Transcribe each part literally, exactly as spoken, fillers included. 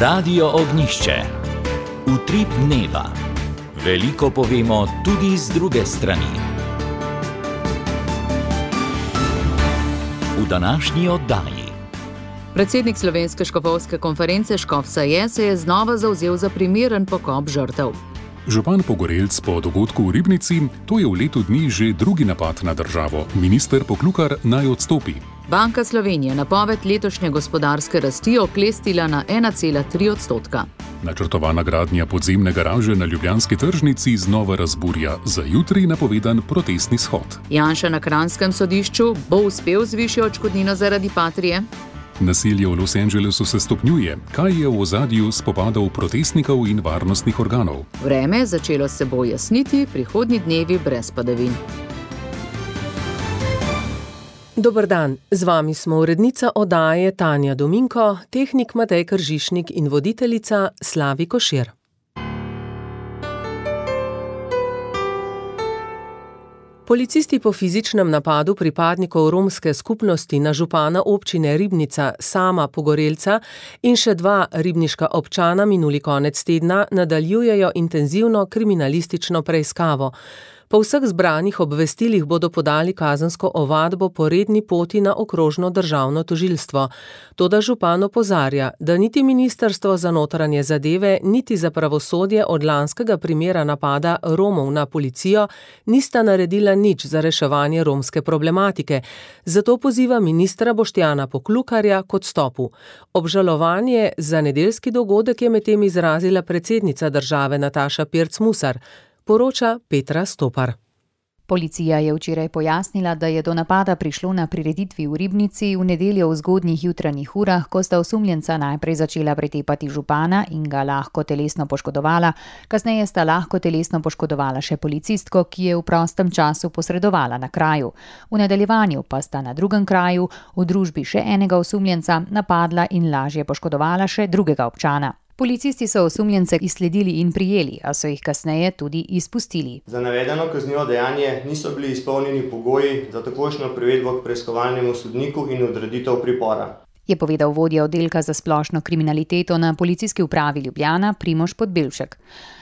Radio Ognjišče. Utrip dneva. Veliko povemo tudi z druge strani. V današnji oddaji. Predsednik Slovenske škofovske konference Škof Saje se je znova zavzel za primeren pokop žrtev. Župan Pogorelc po dogodku v Ribnici, to je v letu dni že drugi napad na državo. Minister Poklukar naj odstopi. Banka Slovenije napoved letošnje gospodarske rasti oklestila na ena cela tri odstotka. Načrtovana gradnja podzemne garaže na ljubljanski tržnici znova razburja. Za jutri napovedan protestni shod. Janša na kranjskem sodišču bo uspel z višjo odškodnino zaradi Patrie? Nasilje v Los Angelesu se stopnjuje. Kaj je v ozadju spopadov protestnikov in varnostnih organov? Vreme začelo se bo jasniti, prihodnji dnevi brez padavin. Dober dan, z vami smo urednica oddaje Tanja Dominko, tehnik Matej Kržišnik in voditeljica Slavi Košir. Policisti po fizičnem napadu pripadnikov romske skupnosti na župana občine Ribnica Sama Pogorelca in še dva ribniška občana minuli konec tedna nadaljujejo intenzivno kriminalistično preiskavo. Po vseh zbranih obvestilih bodo podali kazensko ovadbo po redni poti na okrožno državno tožilstvo. Toda župan opozarja, da niti Ministrstvo za notranje zadeve, niti za pravosodje od lanskega primera napada Romov na policijo nista naredila nič za reševanje romske problematike. Zato poziva ministra Boštjana Poklukarja k odstopu. Obžalovanje za nedeljski dogodek je medtem izrazila predsednica države Nataša Pirc Musar. Poroča Petra Stopar. Policija je včeraj pojasnila, da je do napada prišlo na prireditvi v Ribnici v nedeljo v zgodnjih jutranjih urah, ko sta osumljenca najprej začela pretepati župana in ga lahko telesno poškodovala, kasneje sta lahko telesno poškodovala še policistko, ki je v prostem času posredovala na kraju. V nadaljevanju pa sta na drugem kraju v družbi še enega osumljenca napadla in lažje poškodovala še drugega občana. Policisti so osumljence izsledili in prijeli, a so jih kasneje tudi izpustili. Za navedeno kaznivo dejanje niso bili izpolnjeni pogoji za takojšnjo privedbo k preiskovalnemu sodniku in odreditev pripora, je povedal vodja oddelka za splošno kriminaliteto na Policijski upravi Ljubljana Primož Podbevšek.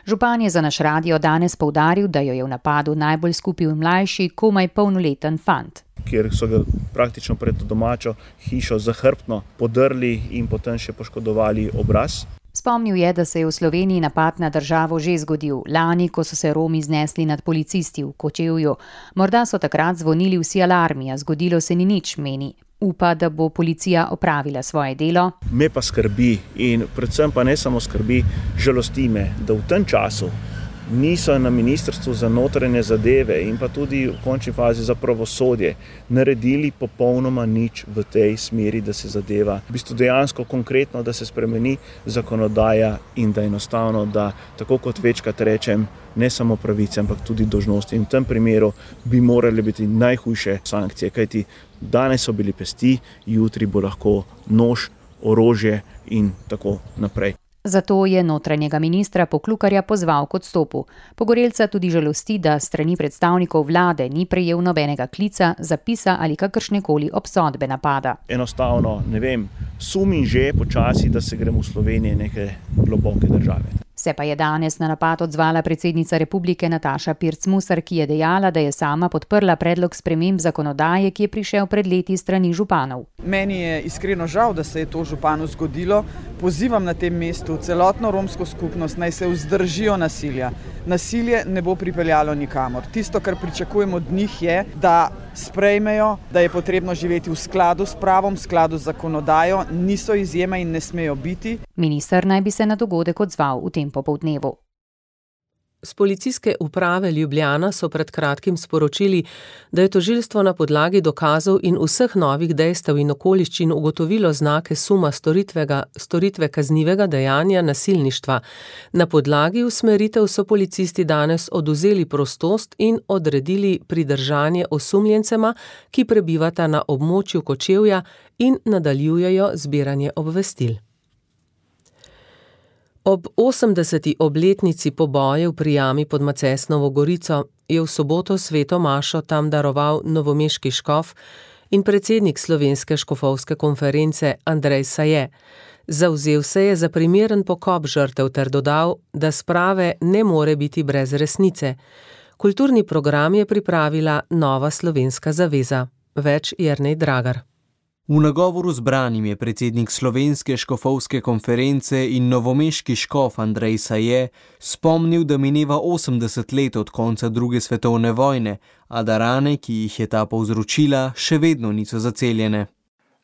Župan je za naš radio danes poudaril, da jo je v napadu najbolj skupil mlajši, komaj polnoleten fant, kjer so ga praktično pred domačo hišo zahrbtno podrli in potem še poškodovali obraz. Spomnil je, da se je v Sloveniji napad na državo že zgodil lani, ko so se Romi znesli nad policisti v Kočevju. Morda so takrat zvonili vsi alarmi, a zgodilo se ni nič, meni. Upa, da bo policija opravila svoje delo. Me pa skrbi in predvsem pa ne samo skrbi, žalosti me, da v tem času niso na Ministrstvu za notranje zadeve in pa tudi v končni fazi za pravosodje naredili popolnoma nič v tej smeri, da se zadeva v bistvu dejansko konkretno, da se spremeni zakonodaja in da enostavno, da tako kot večkrat rečem, ne samo pravice, ampak tudi dolžnosti. In v tem primeru bi morali biti najhujše sankcije, kajti danes so bili pesti, jutri bo lahko nož, orožje in tako naprej. Zato je notranjega ministra Poklukarja pozval k odstopu. Pogorelca tudi žalosti, da strani predstavnikov vlade ni prejel nobenega klica, zapisa ali kakršnekoli obsodbe napada. Enostavno, ne vem, sumim že počasi, da se gremo v Sloveniji neke globoke države. Se pa je danes na napad odzvala predsednica republike Nataša Pirc Musar, ki je dejala, da je sama podprla predlog sprememb zakonodaje, ki je prišel pred leti strani županov. Meni je iskreno žal, da se je to županu zgodilo. Pozivam na tem mestu celotno romsko skupnost, naj se vzdržijo nasilja. Nasilje ne bo pripeljalo nikamor. Tisto, kar pričakujemo od njih, je, da sprejmejo, da je potrebno živeti v skladu s pravom, v skladu z zakonodajo, niso izjema in ne smejo biti. Minister naj bi se na dogodek odzval v tem popoldnevu. Z Policijske uprave Ljubljana so pred kratkim sporočili, da je tožilstvo na podlagi dokazov in vseh novih dejstev in okoliščin ugotovilo znake suma storitve kaznivega dejanja nasilništva. Na podlagi usmeritev so policisti danes odvzeli prostost in odredili pridržanje osumljencema, ki prebivata na območju Kočevja in nadaljujejo zbiranje obvestil. Ob osemdeseti obletnici pobojev pri jami pod Macesnovo Gorico je v soboto sveto mašo tam daroval novomeški škof in predsednik Slovenske škofovske konference Andrej Saje. Zavzel se je za primeren pokop žrtev ter dodal, da sprave ne more biti brez resnice. Kulturni program je pripravila Nova slovenska zaveza. Več Jernej Dragar. V nagovoru zbranim je predsednik Slovenske škofovske konference in novomeški škof Andrej Saje spomnil, da mineva osemdeset let od konca druge svetovne vojne, a da rane, ki jih je ta povzročila, še vedno niso zaceljene.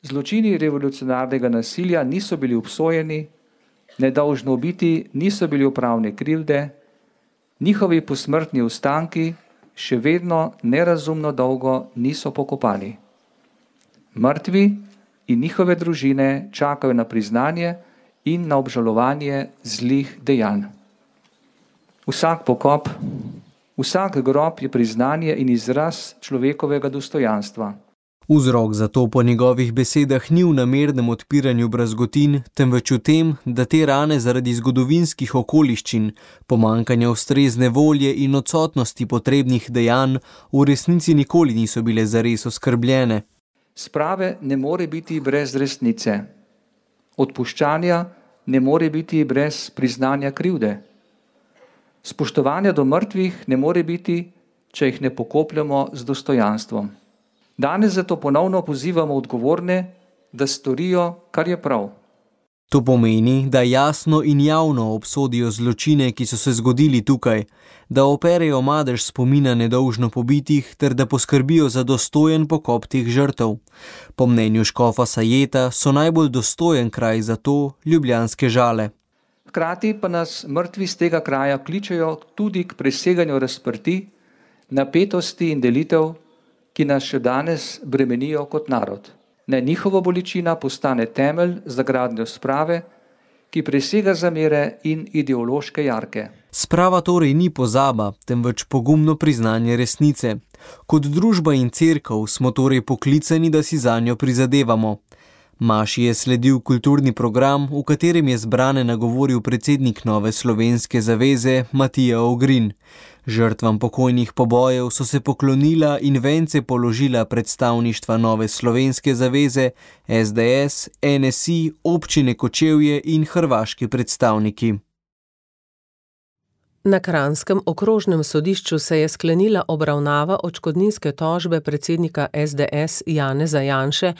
Zločini revolucionarnega nasilja niso bili obsojeni, nedolžno ubiti niso bili upravne krivde, njihovi posmrtni ostanki še vedno nerazumno dolgo niso pokopani. Mrtvi in njihove družine čakajo na priznanje in na obžalovanje zlih dejanj. Vsak pokop, vsak grob je priznanje in izraz človekovega dostojanstva. Vzrok za to po njegovih besedah ni v namernem odpiranju brazgotin, temveč v tem, da te rane zaradi zgodovinskih okoliščin, pomanjkanja ustrezne volje in odsotnosti potrebnih dejanj v resnici nikoli niso bile zares oskrbljene. Sprave ne more biti brez resnice. Odpuščanja ne more biti brez priznanja krivde. Spoštovanja do mrtvih ne more biti, če jih ne pokopljamo z dostojanstvom. Danes zato ponovno pozivamo odgovorne, da storijo, kar je prav. To pomeni, da jasno in javno obsodijo zločine, ki so se zgodili tukaj, da operejo madež spomina nedolžno pobitih ter da poskrbijo za dostojen pokop teh žrtev. Po mnenju škofa Sajeta so najbolj dostojen kraj za to ljubljanske Žale. Hkrati pa nas mrtvi z tega kraja kličejo tudi k preseganju razprti, napetosti in delitev, ki nas še danes bremenijo kot narod. Naj njihova bolečina postane temelj za gradnjo sprave, ki presega zamere in ideološke jarke. Sprava torej ni pozaba, temveč pogumno priznanje resnice. Kot družba in cerkev smo torej poklicani, da si zanjo prizadevamo. Maši je sledil kulturni program, v katerem je zbrane nagovoril predsednik Nove slovenske zaveze Matija Ogrin. Žrtvam pokojnih pobojev so se poklonila in vence položila predstavništva Nove slovenske zaveze, es de es, en es i, občine Kočevje in hrvaški predstavniki. Na Kranjskem okrožnem sodišču se je sklenila obravnava odškodninske tožbe predsednika es de es Janeza Janše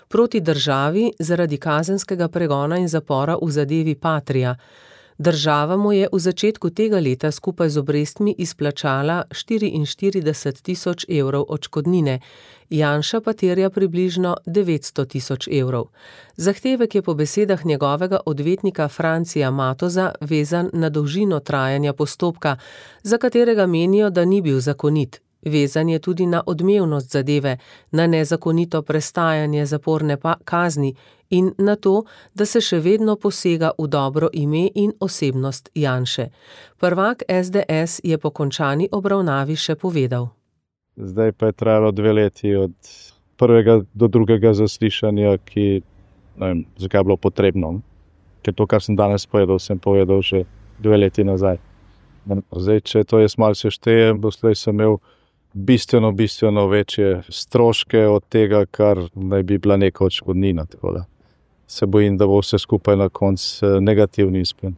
proti državi zaradi kazenskega pregona in zapora v zadevi Patria. Država mu je v začetku tega leta skupaj z obrestmi izplačala štiriinštirideset tisoč evrov odškodnine, Janša pa terja približno devetsto tisoč evrov. Zahtevek je po besedah njegovega odvetnika Francija Matoza vezan na dolžino trajanja postopka, za katerega menijo, da ni bil zakonit. Vezan je tudi na odmevnost zadeve, na nezakonito prestajanje zaporne kazni in na to, da se še vedno posega v dobro ime in osebnost Janše. Prvak es de es je po končani obravnavi še povedal. Zdaj pa je trajalo dve leti od prvega do drugega zaslišanja, ki ne vem, zakaj je bilo potrebno. Ker to, kar sem danes povedal, sem povedal že dve leti nazaj. Zdaj, če to jaz malo seštejem, doslej sem imel bistveno, bistveno večje stroške od tega, kar naj bi bila neka odškodnina. Tako da se bojim, da bo vse skupaj na koncu negativni izplen.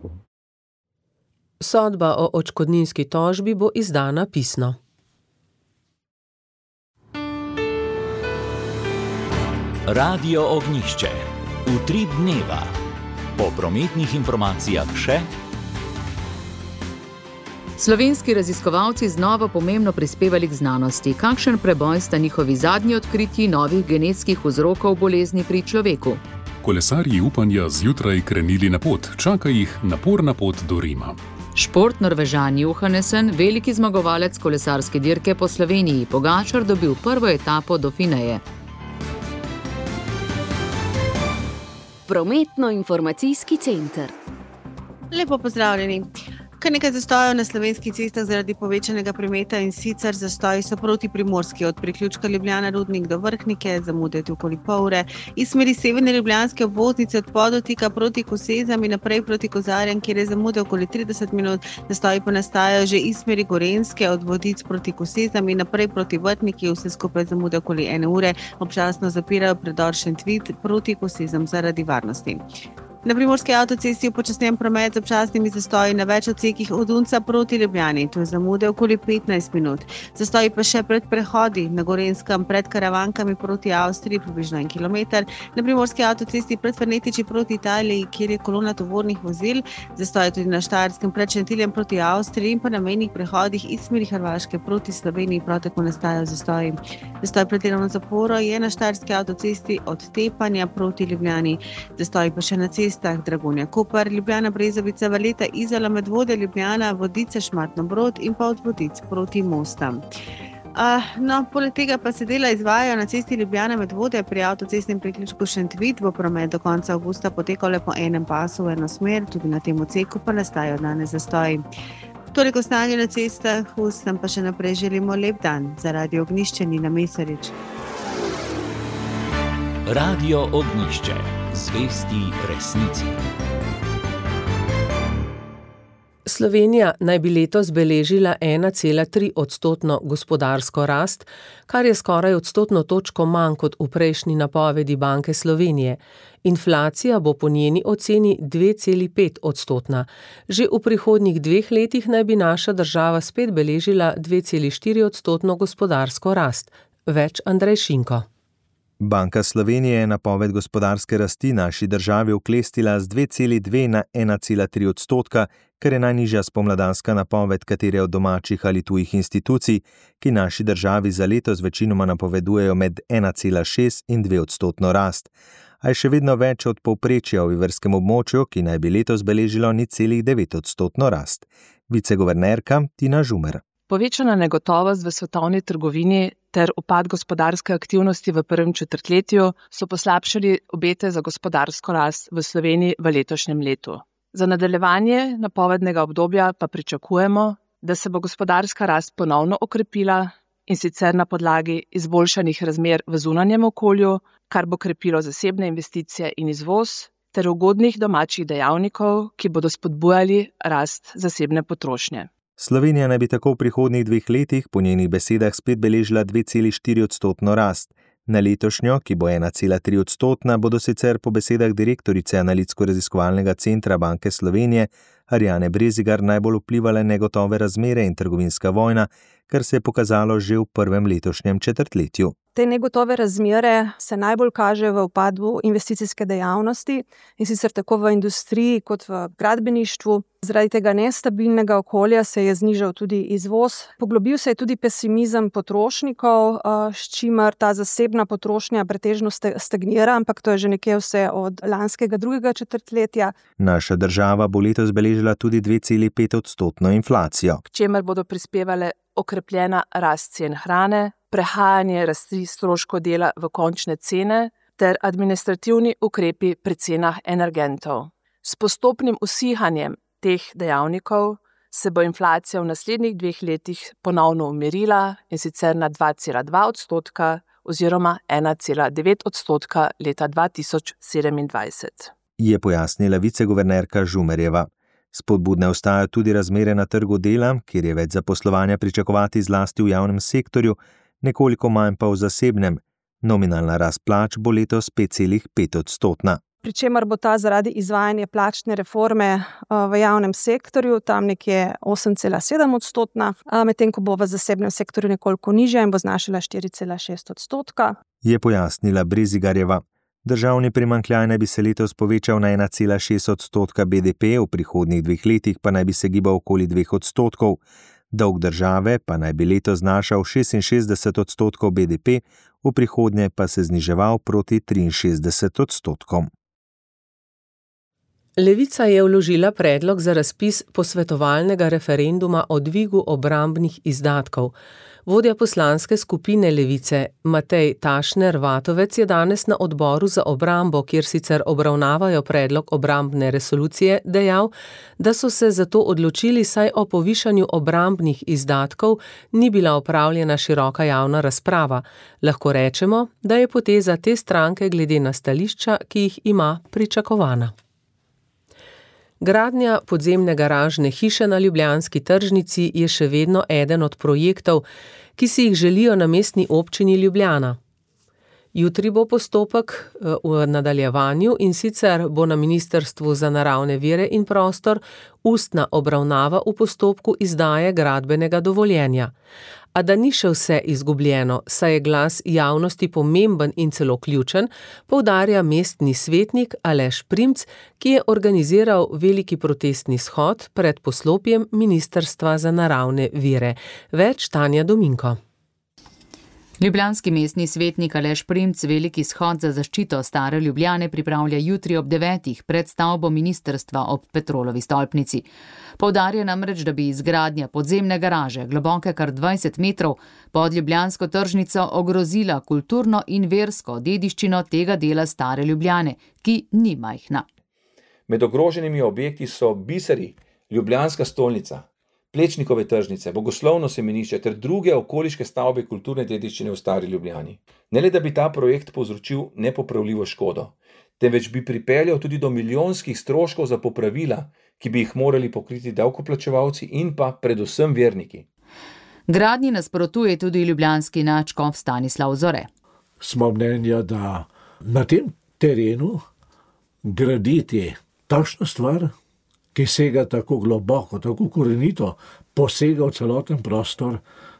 Sodba o odškodninski tožbi bo izdana pisno. Radio Ognjišče. Utrip dneva. Po prometnih informacijah še. Slovenski raziskovalci znova pomembno prispevali k znanosti. Kakšen preboj sta njihovi zadnji odkritji novih genetskih vzrokov bolezni pri človeku? Kolesarji upanja zjutraj krenili na pot, čaka jih naporna pot do Rima. Šport Norvežan Johannesen, veliki zmagovalec kolesarske dirke po Sloveniji, Pogačar dobil prvo etapo do Fineje. Prometno-informacijski center. Lepo pozdravljeni. Kar nekaj zastojev na slovenskih cestah zaradi povečanega prometa, in sicer zastoji so proti Primorski, od priključka Ljubljana Rudnik do Vrhnike, zamude okoli pol ure, iz smeri severne ljubljanske obvoznice od Podotika proti Kosezam in naprej proti Kozarjem, kjer je zamude okoli trideset minut, zastoji pa nastajajo že iz smeri Gorenjske od Vodic proti Kosezam in naprej proti Vrhniki, vse skupaj zamude okoli ene ure, občasno zapirajo predor Šentvid proti Kosezam zaradi varnosti. Na primorski avtocesti upočasnjen promet z občasnimi zastoji na več odsekih od Unca proti Ljubljani, to je zamude okoli petnajst minut. Zastoji pa še pred prehodi na Gorenjskem pred Karavankami proti Avstriji, približno en kilometer, na primorski avtocesti pred Fernetiči proti Italiji, kjer je kolona tovornih vozil, zastoji tudi na Štajerskem pred Šentiljem proti Avstriji in pa na mejnih prehodih iz smeri Hrvaške proti Sloveniji prav tako nastajajo zastoji. Zastoj pred delovno zaporo je na Štajerski avtocesti od Tepanja proti Ljubljani, zastoji pa še na cesti Dragonja Koper, Ljubljana Brezovica, Valeta Izola, Medvode Ljubljana, Vodice Šmartno Brod in pa od Vodic proti Mostam. Uh, no, poleg tega pa se dela izvajajo na cesti Ljubljana Medvode, pri avtocestnem priključku Šentvid bo promet do konca avgusta potekal le po enem pasu v eno smer, tudi na tem odseku pa nastajajo danes zastoji. Toliko stanje na cestah, vsem pa še naprej želimo lep dan. Za Radio Ognjišče Nina Mesarič. Radio Ognjišče. Zvesti resnici. Slovenija naj bi letos beležila ena cela tri odstotno gospodarsko rast, kar je skoraj odstotno točko manj kot v prejšnji napovedi Banke Slovenije. Inflacija bo po njeni oceni dve celi pet odstotna. Že v prihodnjih dveh letih naj bi naša država spet beležila dve celi štiri odstotno gospodarsko rast. Več Andrej Šinko. Banka Slovenije je napoved gospodarske rasti naši državi oklestila z dve celi dve na ena cela tri odstotka, kar je najnižja spomladanska napoved katere od domačih ali tujih institucij, ki naši državi za letos večinoma napovedujejo med ena cela šest in dve odstotno rast. A je še vedno več od povprečja v evrskem območju, ki naj bi letos beležilo nič celih devet odstotno rast. Viceguvernerka Tina Žumer. Povečana negotovost v svetovni trgovini ter upad gospodarske aktivnosti v prvem četrtletju so poslabšali obete za gospodarsko rast v Sloveniji v letošnjem letu. Za nadaljevanje napovednega obdobja pa pričakujemo, da se bo gospodarska rast ponovno okrepila in sicer na podlagi izboljšanih razmer v zunanjem okolju, kar bo krepilo zasebne investicije in izvoz, ter ugodnih domačih dejavnikov, ki bodo spodbujali rast zasebne potrošnje. Slovenija naj bi tako v prihodnjih dveh letih po njenih besedah spet beležila dve celi štiri odstotno rast. Na letošnjo, ki bo ena cela tri odstotna, bodo sicer po besedah direktorice Analitsko-raziskovalnega centra Banke Slovenije Arjane Brezigar najbolj vplivale negotove razmere in trgovinska vojna, kar se je pokazalo že v prvem letošnjem četrtletju. Te negotove razmere se najbolj kaže v upadu investicijske dejavnosti, in sicer tako v industriji kot v gradbeništvu. Zaradi tega nestabilnega okolja se je znižal tudi izvoz. Poglobil se je tudi pesimizem potrošnikov, s čimer ta zasebna potrošnja pretežno stagnira, ampak to je že nekje vse od lanskega drugega četrtletja. Naša država bo letos beležila tudi dve celi pet odstotno inflacijo. K čemer bodo prispevale okrepljena rast cen hrane, prehajanje rasti stroškov dela v končne cene ter administrativni ukrepi pri cenah energentov. S postopnim usihanjem teh dejavnikov se bo inflacija v naslednjih dveh letih ponovno umirila, in sicer na dva cela dva odstotka oziroma ena cela devet odstotka leta dva tisoč sedemindvajset. Je pojasnila viceguvernerka Žumerjeva. Spodbudne ostajajo tudi razmere na trgu dela, kjer je več zaposlovanja pričakovati zlasti v javnem sektorju, nekoliko manj pa v zasebnem. Nominalna rast plač bo letos pet cela pet odstotna. Pričemer bo ta zaradi izvajanja plačne reforme v javnem sektorju tam nekje osem cela sedem odstotna, medtem ko bo v zasebnem sektorju nekoliko nižja in bo znašala štiri cela šest odstotka. Je pojasnila Brezigarjeva. Državni primanjkljaj naj bi se letos povečal na ena cela šest odstotka B D P, v prihodnjih dveh letih pa naj bi se gibal okoli dveh odstotkov. Dolg države pa naj bi letos znašal šestinšestdeset odstotkov B D P, v prihodnje pa se zniževal proti triinšestdeset odstotkom. Levica je vložila predlog za razpis posvetovalnega referenduma o dvigu obrambnih izdatkov. Vodja poslanske skupine Levice Matej Tašner Vatovec je danes na odboru za obrambo, kjer sicer obravnavajo predlog obrambne resolucije, dejal, da so se zato odločili, saj o povišanju obrambnih izdatkov ni bila opravljena široka javna razprava. Lahko rečemo, da je poteza te stranke glede na stališča, ki jih ima, pričakovana. Gradnja podzemne garažne hiše na ljubljanski tržnici je še vedno eden od projektov, ki si jih želijo na mestni občini Ljubljana. Jutri bo postopek v nadaljevanju, in sicer bo na Ministrstvu za naravne vire in prostor ustna obravnava v postopku izdaje gradbenega dovoljenja. A da ni še vse izgubljeno, saj je glas javnosti pomemben in celo ključen, poudarja mestni svetnik Aleš Primc, ki je organiziral veliki protestni shod pred poslopjem Ministrstva za naravne vire. Več Tanja Dominko. Ljubljanski mestni svetnik Aleš Primc veliki shod za zaščito stare Ljubljane pripravlja jutri ob devetih pred stavbo ministrstva ob Petrolovi stolpnici. Poudarja namreč, da bi izgradnja podzemne garaže, globoke kar dvajset metrov, pod ljubljansko tržnico ogrozila kulturno in versko dediščino tega dela stare Ljubljane, ki ni majhna. Med ogroženimi objekti so biseri, ljubljanska stolnica, Plečnikove tržnice, bogoslovno semenišče ter druge okoliške stavbe kulturne dediščine v stari Ljubljani. Ne le, da bi ta projekt povzročil nepopravljivo škodo, temveč bi pripeljal tudi do milijonskih stroškov za popravila, ki bi jih morali pokriti davkoplačevalci in pa predvsem verniki. Gradnji nasprotuje tudi ljubljanski nadškof Stanislav Zore. Smo mnenja, da na tem terenu graditi takšno stvar, ki sega tako globoko, tako korenito, posega v celoten prostor,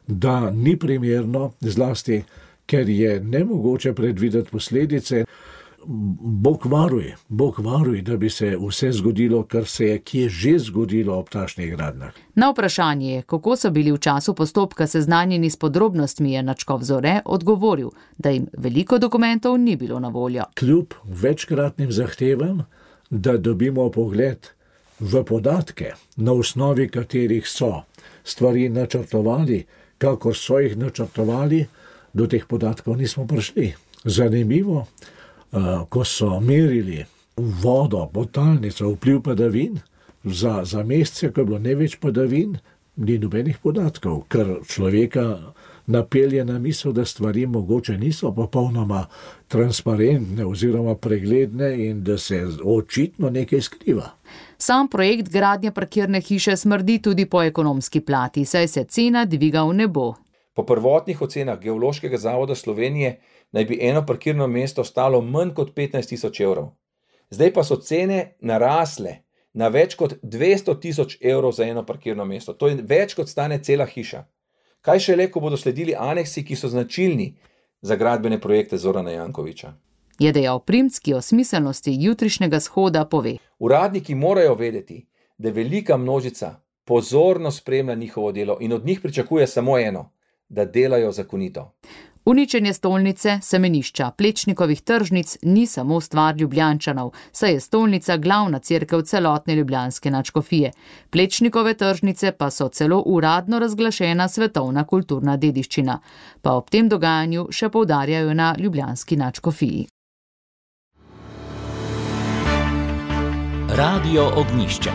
da ni primerno, zlasti, ker je nemogoče predvideti posledice. Bog varuj, Bog varuj, da bi se vse zgodilo, kar se je kje že zgodilo ob takšnih gradnjah. Na vprašanje, kako so bili v času postopka seznanjeni s podrobnostmi, je nadškof Zore odgovoril, da jim veliko dokumentov ni bilo na voljo. Kljub večkratnim zahtevam, da dobimo pogled v podatke, na osnovi katerih so stvari načrtovali, kakor so jih načrtovali, do teh podatkov nismo prišli. Zanimivo, ko so merili vodo, podtalnico, vpliv padavin, za, za mesece, ko je bilo največ padavin, ni nobenih podatkov, ker človeka napelje na misel, da stvari mogoče niso popolnoma transparentne oziroma pregledne in da se očitno nekaj skriva. Sam projekt gradnje parkirne hiše smrdi tudi po ekonomski plati, saj se cena dviga v nebo. Po prvotnih ocenah Geološkega zavoda Slovenije naj bi eno parkirno mesto stalo manj kot petnajst tisoč evrov. Zdaj pa so cene narasle na več kot dvesto tisoč evrov za eno parkirno mesto. To je več kot stane cela hiša. Kaj šele, ko bodo sledili aneksi, ki so značilni za gradbene projekte Zorana Jankovića. Je dejal Primc, ki o smiselnosti jutrišnjega shoda pove. Uradniki morajo vedeti, da velika množica pozorno spremlja njihovo delo in od njih pričakuje samo eno, da delajo zakonito. Uničenje stolnice, semenišča, Plečnikovih tržnic ni samo stvar Ljubljančanov, saj je stolnica glavna cerkev celotne ljubljanske nadškofije. Plečnikove tržnice pa so celo uradno razglašena svetovna kulturna dediščina. Pa ob tem dogajanju še poudarjajo na ljubljanski nadškofiji. Radio Ognjišče.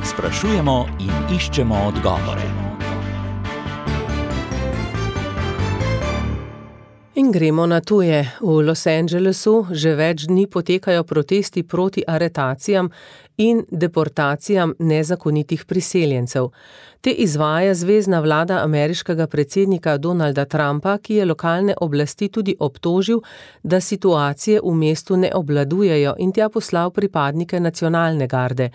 Sprašujemo in iščemo odgovore. In gremo na tuje. V Los Angelesu že več dni potekajo protesti proti aretacijam in deportacijam nezakonitih priseljencev. Te izvaja zvezna vlada ameriškega predsednika Donalda Trumpa, ki je lokalne oblasti tudi obtožil, da situacije v mestu ne obvladujejo in tja poslal pripadnike nacionalne garde.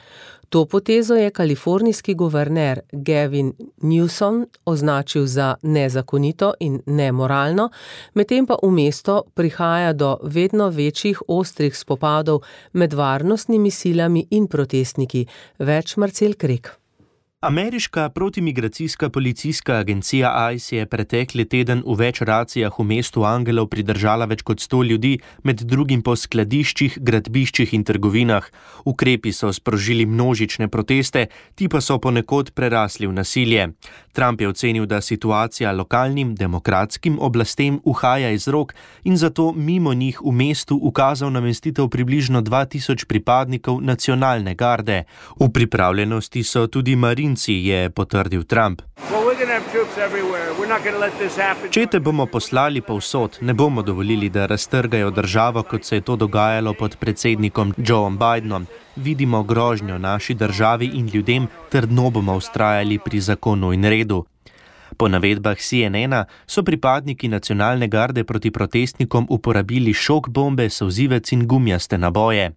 To potezo je kalifornijski guverner Gavin Newsom označil za nezakonito in nemoralno, medtem pa v mesto prihaja do vedno večjih ostrih spopadov med varnostnimi silami in protestniki. Več Marcel Krek. Ameriška protimigracijska policijska agencija I C E je pretekli teden v več racijah v mestu Angelov pridržala več kot sto ljudi, med drugim po skladiščih, gradbiščih in trgovinah. Ukrepi so sprožili množične proteste, ti pa so ponekod prerasli v nasilje. Trump je ocenil, da situacija lokalnim demokratskim oblastem uhaja iz rok in zato mimo njih v mestu ukazal namestitev približno dva tisoč pripadnikov nacionalne garde. V pripravljenosti so tudi marinci, je potrdil Trump. Čete bomo poslali povsod, ne bomo dovolili, da raztrgajo državo, kot se je to dogajalo pod predsednikom Joeom Bidenom. Vidimo grožnjo naši državi in ljudem, trdno bomo vztrajali pri zakonu in redu. Po navedbah C N N-a so pripadniki nacionalne garde proti protestnikom uporabili šok bombe, solzivec in gumijaste naboje.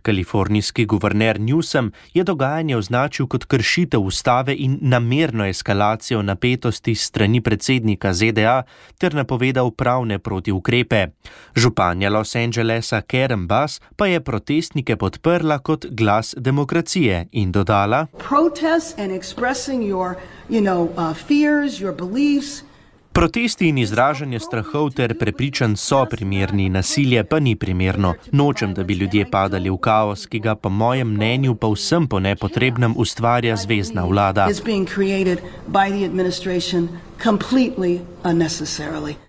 Kalifornijski guverner Newsom je dogajanje označil kot kršitev ustave in namerno eskalacijo napetosti s strani predsednika Z D A ter napovedal pravne protiukrepe. Županja Los Angelesa Karen Bass pa je protestnike podprla kot glas demokracije in dodala: Protest and expressing your, you know, uh, fears, your beliefs. Protesti in izražanje strahov ter prepričanj so primerni, nasilje pa ni primerno. Nočem, da bi ljudje padali v kaos, ki ga po mojem mnenju pa vsem po nepotrebnem ustvarja zvezna vlada.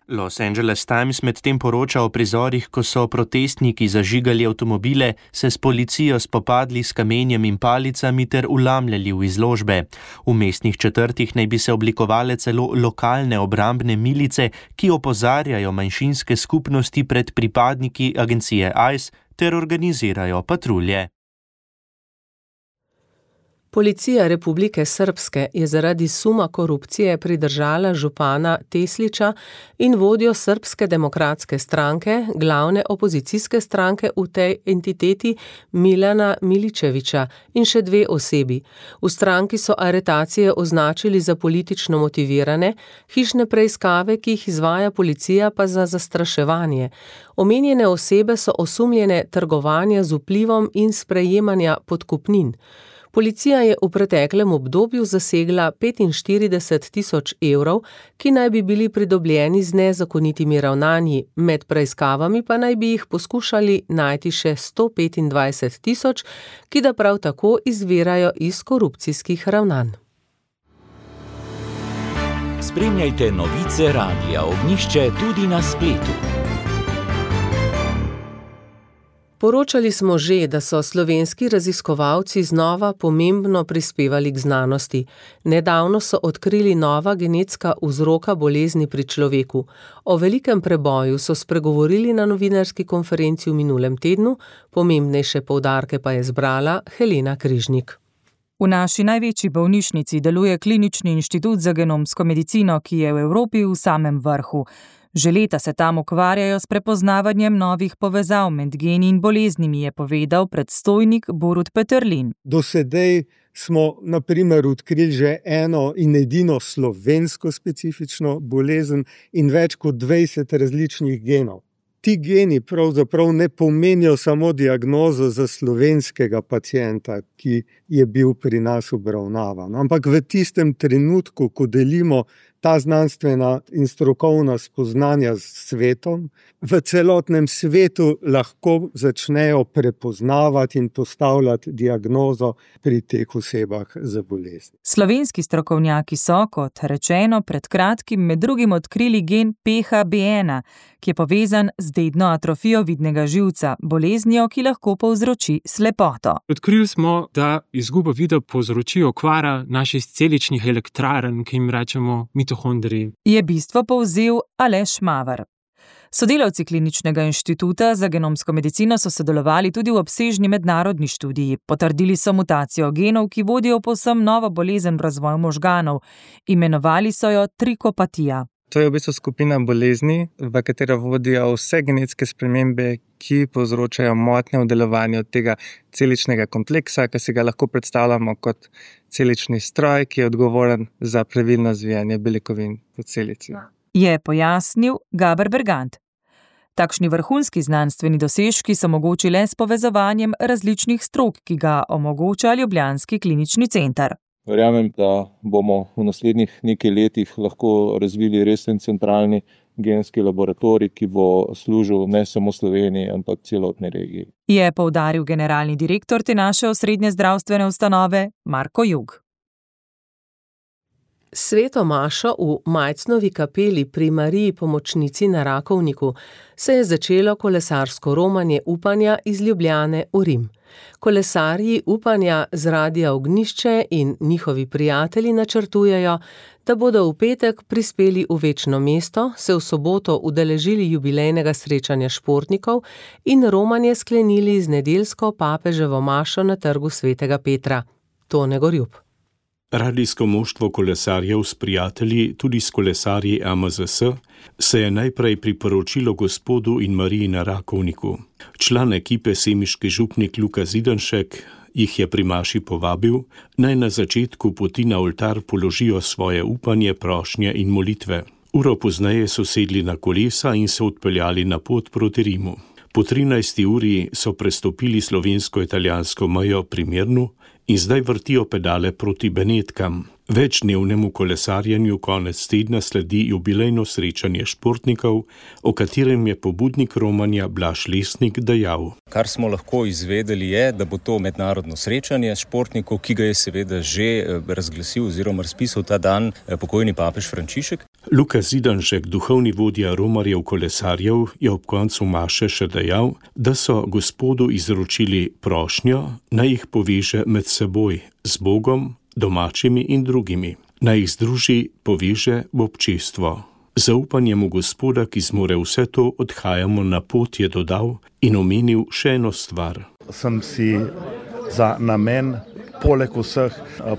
Los Angeles Times medtem poroča o prizorih, ko so protestniki zažigali avtomobile, se s policijo spopadli s kamenjem in palicami ter vlamljali v izložbe. V mestnih četrtih naj bi se oblikovale celo lokalne obrambne milice, ki opozarjajo manjšinske skupnosti pred pripadniki agencije I C E ter organizirajo patrulje. Policija Republike Srpske je zaradi suma korupcije pridržala župana Teslića in vodjo Srpske demokratske stranke, glavne opozicijske stranke v tej entiteti Milana Miličevića in še dve osebi. V stranki so aretacije označili za politično motivirane, hišne preiskave, ki jih izvaja policija, pa za zastraševanje. Omenjene osebe so osumljene trgovanja z vplivom in sprejemanja podkupnin. Policija je v preteklem obdobju zasegla petinštirideset tisoč evrov, ki naj bi bili pridobljeni z nezakonitimi ravnanji, med preiskavami pa naj bi jih poskušali najti še sto petindvajset tisoč, ki da prav tako izvirajo iz korupcijskih ravnanj. Spremljajte novice Radia Ognjišče tudi na spletu. Poročali smo že, da so slovenski raziskovalci znova pomembno prispevali k znanosti. Nedavno so odkrili nova genetska vzroka bolezni pri človeku. O velikem preboju so spregovorili na novinarski konferenci v minulem tednu, pomembnejše poudarke pa je zbrala Helena Križnik. V naši največji bolnišnici deluje Klinični inštitut za genomsko medicino, ki je v Evropi v samem vrhu. Že leta se tam ukvarjajo s prepoznavanjem novih povezav med geni in boleznimi, je povedal predstojnik Borut Peterlin. Do sedaj smo na primer odkrili že eno in edino slovensko specifično bolezen in več kot dvajset različnih genov. Ti geni pravzaprav ne pomenijo samo diagnozo za slovenskega pacienta, ki je bil pri nas obravnavan, ampak v tistem trenutku, ko delimo ta znanstvena in strokovna spoznanja s svetom, v celotnem svetu lahko začnejo prepoznavati in postavljati diagnozo pri teh osebah za bolezni. Slovenski strokovnjaki so, kot rečeno, pred kratkim med drugim odkrili gen P H B ena, ki je povezan z dedno atrofijo vidnega živca, boleznijo, ki lahko povzroči slepoto. Odkrili smo, da izgubo vida povzroči okvara naših celičnih elektrarn, ki jim rečemo mitohondriji. Je bistvo povzel Aleš Mavar. Sodelavci Kliničnega inštituta za genomsko medicino so sodelovali tudi v obsežni mednarodni študiji. Potrdili so mutacijo genov, ki vodijo povsem novo bolezen v razvoju možganov. Imenovali so jo trikopatija. To je v bistvu skupina bolezni, v katero vodijo vse genetske spremembe, ki povzročajo motnje v delovanju tega celičnega kompleksa, ki si ga lahko predstavljamo kot celični stroj, ki je odgovoren za pravilno zvijanje beljakovin v celici. Je pojasnil Gaber Bergant. Takšni vrhunski znanstveni dosežki so mogoči le s povezovanjem različnih strok, ki ga omogoča ljubljanski klinični center. Verjamem, da bomo v naslednjih nekaj letih lahko razvili resen centralni genski laboratorij, ki bo služil ne samo Sloveniji, ampak celotni regiji. Je poudaril generalni direktor te naše osrednje zdravstvene ustanove Marko Jug. Sveto mašo v Majcnovi kapeli pri Mariji Pomočnici na Rakovniku se je začelo kolesarsko romanje upanja iz Ljubljane v Rim. Kolesarji upanja z Radia Ognjišče in njihovi prijatelji načrtujejo, da bodo v petek prispeli v večno mesto, se v soboto udeležili jubilejnega srečanja športnikov in romanje sklenili z nedeljsko papeževo mašo na trgu Svetega Petra. Tone Gorjup. Radijsko moštvo kolesarjev s prijatelji, tudi s kolesarji A M Z S, se je najprej priporočilo Gospodu in Mariji na Rakovniku. Član ekipe semiški župnik Luka Zidanšek jih je pri maši povabil, naj na začetku poti na oltar položijo svoje upanje, prošnje in molitve. Uro pozneje so sedli na kolesa in se odpeljali na pot proti Rimu. Po trinajsti uri so prestopili slovensko-italijansko mejo pri Mirnu in zdaj vrtijo pedale proti Benetkam. Večdnevnemu kolesarjenju konec tedna sledi jubilejno srečanje športnikov, o katerem je pobudnik romanja Blaž Lesnik dejal. Kar smo lahko izvedeli je, da bo to mednarodno srečanje športnikov, ki ga je seveda že razglasil oziroma razpisal ta dan pokojni papež Frančišek. Luka Zidanšek, duhovni vodja romarjev kolesarjev, je ob koncu maše še dejal, da so Gospodu izročili prošnjo, naj jih poveže med seboj, z Bogom, domačimi in drugimi. Naj jih združi, poveže v občestvo. Zaupanjem v Gospoda, ki zmore vse to, odhajamo na pot, je dodal in omenil še eno stvar. Sem si za namen, poleg vseh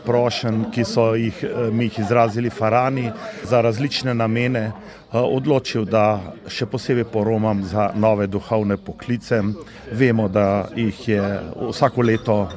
prošenj, ki so jih, mi jih izrazili farani, za različne namene, odločil, da še posebej poromam za nove duhovne poklice. Vemo, da jih je vsako leto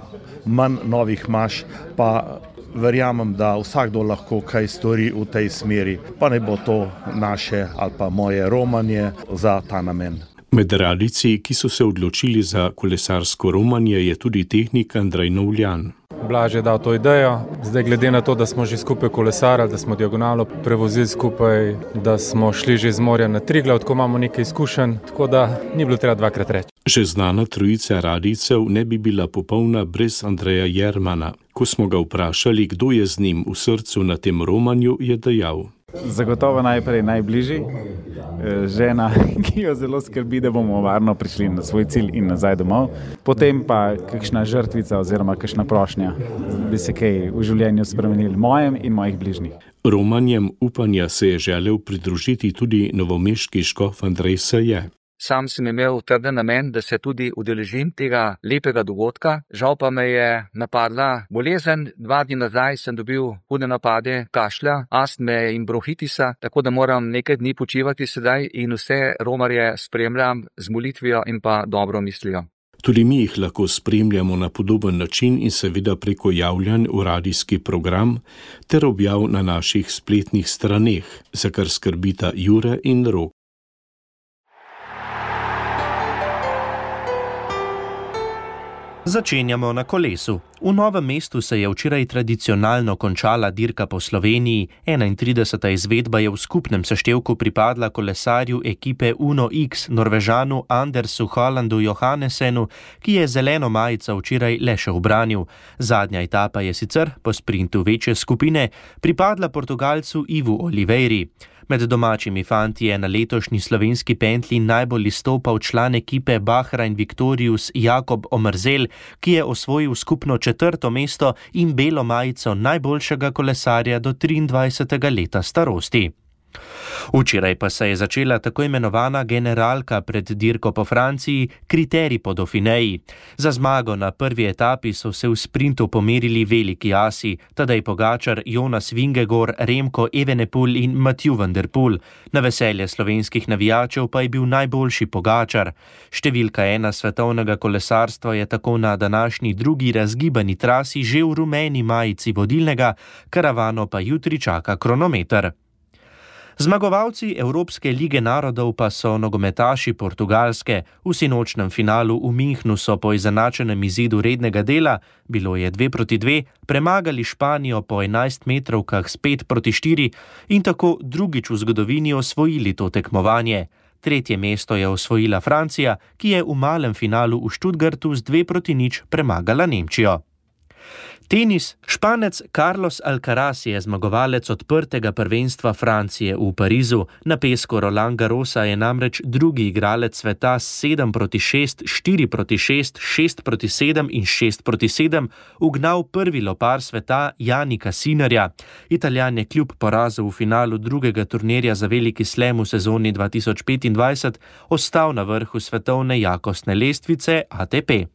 manj novih maš, pa verjamem, da vsakdo lahko kaj stori v tej smeri, pa ne bo to naše ali pa moje romanje za ta namen. Med radijci, ki so se odločili za kolesarsko romanje, je tudi tehnik Andrej Novljan. Blaž je dal to idejo, zdaj glede na to, da smo že skupaj kolesarili, da smo diagonalo prevozili skupaj, da smo šli že z morja na Triglav, tako imamo nekaj izkušenj, tako da ni bilo treba dvakrat reči. Že znana trojica radijcev ne bi bila popolna brez Andreja Jermana. Ko smo ga vprašali, kdo je z njim v srcu na tem romanju, je dejal. Zagotovo najprej najbližji, žena, ki jo zelo skrbi, da bomo varno prišli na svoj cilj in nazaj domov. Potem pa kakšna žrtvica oziroma kakšna prošnja, bi se kaj v življenju spremenili mojem in mojih bližnjih. Romanjem upanja se je želel pridružiti tudi novomeški škof Andrej Saje. Sam sem imel trden namen, da se tudi udeležim tega lepega dogodka. Žal pa me je napadla bolezen. Dva dni nazaj sem dobil hude napade kašlja, astme in bronhitisa, tako da moram nekaj dni počivati sedaj in vse romarje spremljam z molitvijo in pa dobro mislijo. Tudi mi jih lahko spremljamo na podoben način in seveda preko javljanj v radijski program ter objav na naših spletnih straneh, za kar skrbita Jure in Rok. Začenjamo na kolesu. V Novem mestu se je včeraj tradicionalno končala dirka po Sloveniji. enaintrideseta izvedba je v skupnem seštevku pripadla kolesarju ekipe Uno X, Norvežanu Andersu Hollandu Johannesenu, ki je zeleno majico včeraj le še ubranil. Zadnja etapa je sicer, po sprintu večje skupine, pripadla Portugalcu Ivu Oliveiri. Med domačimi fanti je na letošnji slovenski pentlji najbolj izstopal član ekipe Bahrain Victorious Jakob Omerzel, ki je osvojil skupno četrto mesto in belo majico najboljšega kolesarja do triindvajsetega leta starosti. Včeraj pa se je začela tako imenovana generalka pred dirko po Franciji, kriterij po Dauphineji. Za zmago na prvi etapi so se v sprintu pomerili veliki asi, Tadej Pogačar, Jonas Vingegaard, Remko Evenepoel in Mathieu van der Poel. Na veselje slovenskih navijačev pa je bil najboljši Pogačar. Številka ena svetovnega kolesarstva je tako na današnji drugi razgibani trasi že v rumeni majici vodilnega, karavano pa jutri čaka kronometer. Zmagovalci Evropske lige narodov pa so nogometaši Portugalske. V sinočnem finalu v Münchnu so po izenačenem izidu rednega dela, bilo je dve proti dve, premagali Španijo po enajstmetrovkah s pet proti štiri in tako drugič v zgodovini osvojili to tekmovanje. Tretje mesto je osvojila Francija, ki je v malem finalu v Stuttgartu z dve proti nič premagala Nemčijo. Tenis. Španec Carlos Alcaraz je zmagovalec odprtega prvenstva Francije v Parizu. Na pesku Roland Garrosa je namreč drugi igralec sveta s sedem proti šest, štiri proti šest, šest proti sedem in šest proti sedem ugnal prvi lopar sveta Janika Sinnerja. Italijan je kljub porazu v finalu drugega turnirja za veliki slam v sezoni dva tisoč petindvajset ostal na vrhu svetovne jakostne lestvice A T P.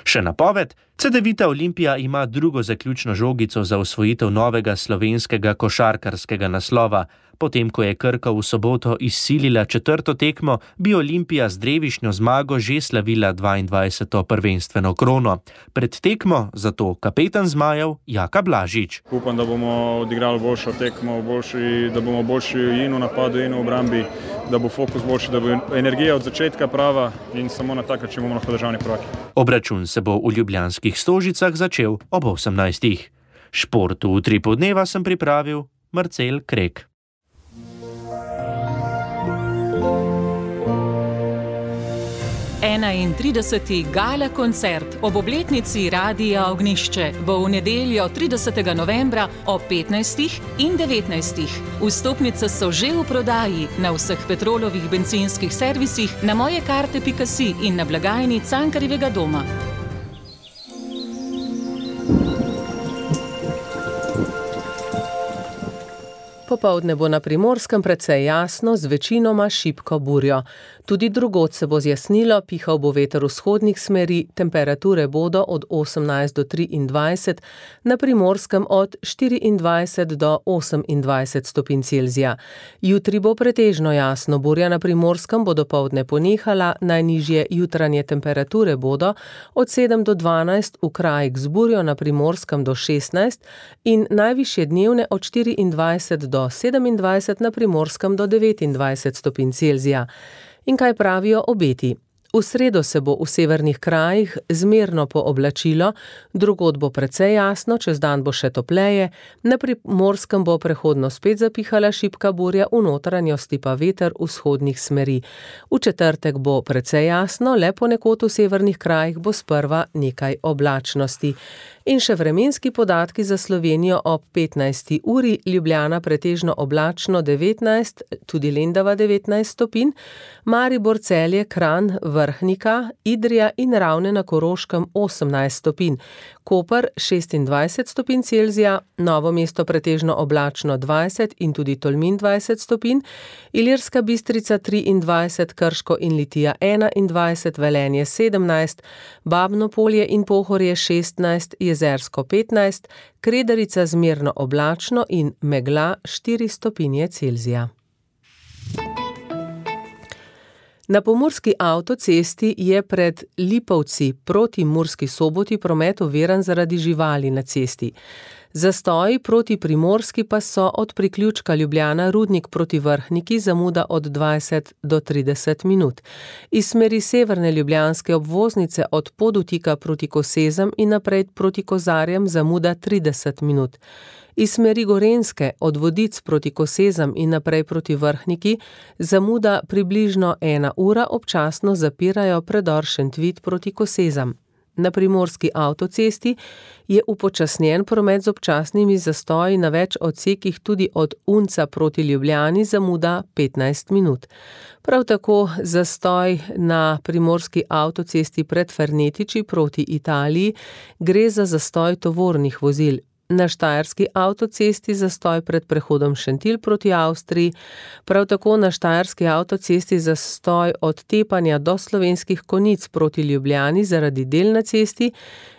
Še napoved. Cedevita Olimpija ima drugo zaključno žogico za osvojitev novega slovenskega košarkarskega naslova. Potem, ko je Krka v soboto izsilila četrto tekmo, bi Olimpija z drevišnjo zmago že slavila dvaindvajseto prvenstveno krono. Pred tekmo zato kapetan zmajev Jaka Blažič. Upam, da bomo odigrali boljšo tekmo, boljši, da bomo boljši in v napadu in v obrambi, da bo fokus boljši, da bo energija od začetka prava in samo na tak način bomo lahko državni prvaki. Obračun se bo v ljubljanskih Stožicah začel ob osemnajstih. Športu v Utripu dneva sem pripravil Marcel Krek. enaintrideseti gala koncert ob obletnici Radia Ognjišče bo v nedeljo tridesetega novembra ob petnajstih in devetnajstih. Vstopnice so že v prodaji na vseh Petrolovih bencinskih servisih, na mojekarte pika si in na blagajni Cankarjevega doma. Popoldne bo na Primorskem precej jasno, z večinoma šibko burjo. Tudi drugod se bo zjasnilo, pihal bo veter vzhodnih smeri, temperature bodo od osemnajst do triindvajset, na Primorskem od štiriindvajset do osemindvajset stopinj Celzija. Jutri bo pretežno jasno, burja na Primorskem bo dopoldne ponehala, najnižje jutranje temperature bodo od sedem do dvanajst, v krajih z burjo na Primorskem do šestnajst in najvišje dnevne od štiriindvajset do sedemindvajset, na Primorskem do devetindvajset stopinj Celzija. In kaj pravijo obeti? V sredo se bo v severnih krajih zmerno pooblačilo, drugod bo precej jasno, čez dan bo še topleje, na Primorskem bo prehodno spet zapihala šibka burja, v notranjosti pa veter vzhodnih smeri. V četrtek bo precej jasno, le ponekod v severnih krajih bo sprva nekaj oblačnosti. In še vremenski podatki za Slovenijo ob petnajsti uri, Ljubljana pretežno oblačno devetnajst, tudi Lendava devetnajst stopinj, Maribor, Celje, Kranj, Vrhnika, Idrija in Ravne na Koroškem osemnajst stopinj, Koper šestindvajset stopinj Celzija, Novo mesto pretežno oblačno dvajset in tudi Tolmin dvajset stopinj, Ilirska Bistrica triindvajset, Krško in Litija enaindvajset, Velenje sedemnajst, Babno Polje in Pohorje šestnajst, Jezersko petnajst, Kredarica zmerno oblačno in megla štiri stopinje Celzija. Na pomurski avtocesti je pred Lipovci proti Murski Soboti promet oviran zaradi živali na cesti. Zastoji proti Primorski pa so od priključka Ljubljana Rudnik proti Vrhniki, zamuda od dvajset do trideset minut. Iz smeri severne ljubljanske obvoznice od Podutika proti Kosezem in naprej proti Kozarjem zamuda trideset minut. Iz smeri Gorenjske od Vodic proti Kosezem in naprej proti Vrhniki zamuda približno ena ura, občasno zapirajo predor Šentvid proti Kosezem. Na primorski avtocesti je upočasnjen promet z občasnimi zastoji na več odsekih, tudi od Unca proti Ljubljani zamuda petnajst minut. Prav tako zastoj na primorski avtocesti pred Fernetiči proti Italiji, gre za zastoj tovornih vozil. Na štajerski avtocesti zastoj pred prehodom Šentilj proti Avstriji, prav tako na štajerski avtocesti zastoj od Tepanja do Slovenskih Konjic proti Ljubljani zaradi del na cesti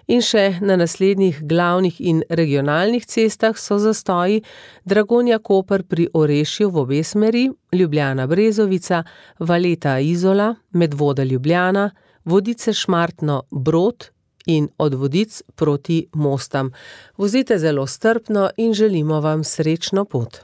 in še na naslednjih glavnih in regionalnih cestah so zastoji Dragonja Koper pri Orešju v obe smeri, Ljubljana Brezovica, Valeta Izola, Medvoda Ljubljana, Vodice Šmartno Brod in od Vodic proti Mostam. Vozite zelo strpno in želimo vam srečno pot.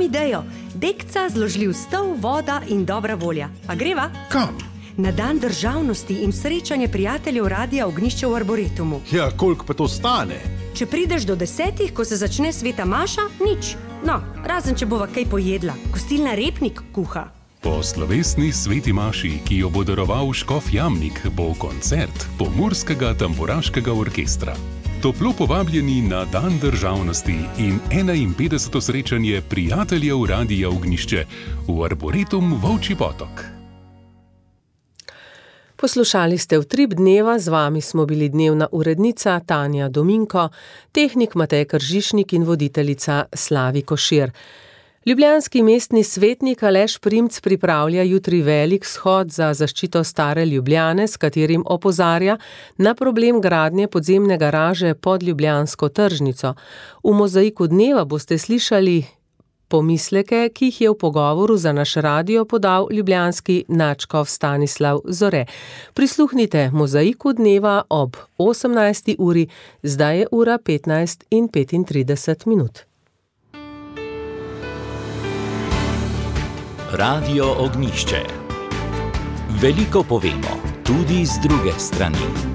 Imam idejo. Dekca, zložljiv stol, voda in dobra volja. A greva? Kam? Na dan državnosti in srečanje prijateljev Radia Ognjišče v Arboretumu. Ja, koliko pa to stane? Če prideš do desetih, ko se začne sveta maša, nič. No, razen če bova kaj pojedla. Gostilna Repnik kuha. Po slovesni sveti maši, ki jo bo daroval škof Jamnik, bo koncert Pomurskega tamburaškega orkestra. Toplo povabljeni na dan državnosti in enainpetdeseto srečanje prijateljev Radia Ognjišče v Arboretum Volčji Potok. Poslušali ste Utrip dneva, z vami smo bili dnevna urednica Tanja Dominko, tehnik Matej Kržišnik in voditeljica Slavi Košir. Ljubljanski mestni svetnik Aleš Primc pripravlja jutri velik shod za zaščito stare Ljubljane, s katerim opozarja na problem gradnje podzemne garaže pod ljubljansko tržnico. V mozaiku dneva boste slišali pomisleke, ki jih je v pogovoru za naš radio podal ljubljanski nadškof Stanislav Zore. Prisluhnite mozaiku dneva ob osemnajsti uri, zdaj je ura petnajst in petintrideset minut. Radio Ognjišče. Veliko povemo, tudi z druge strani.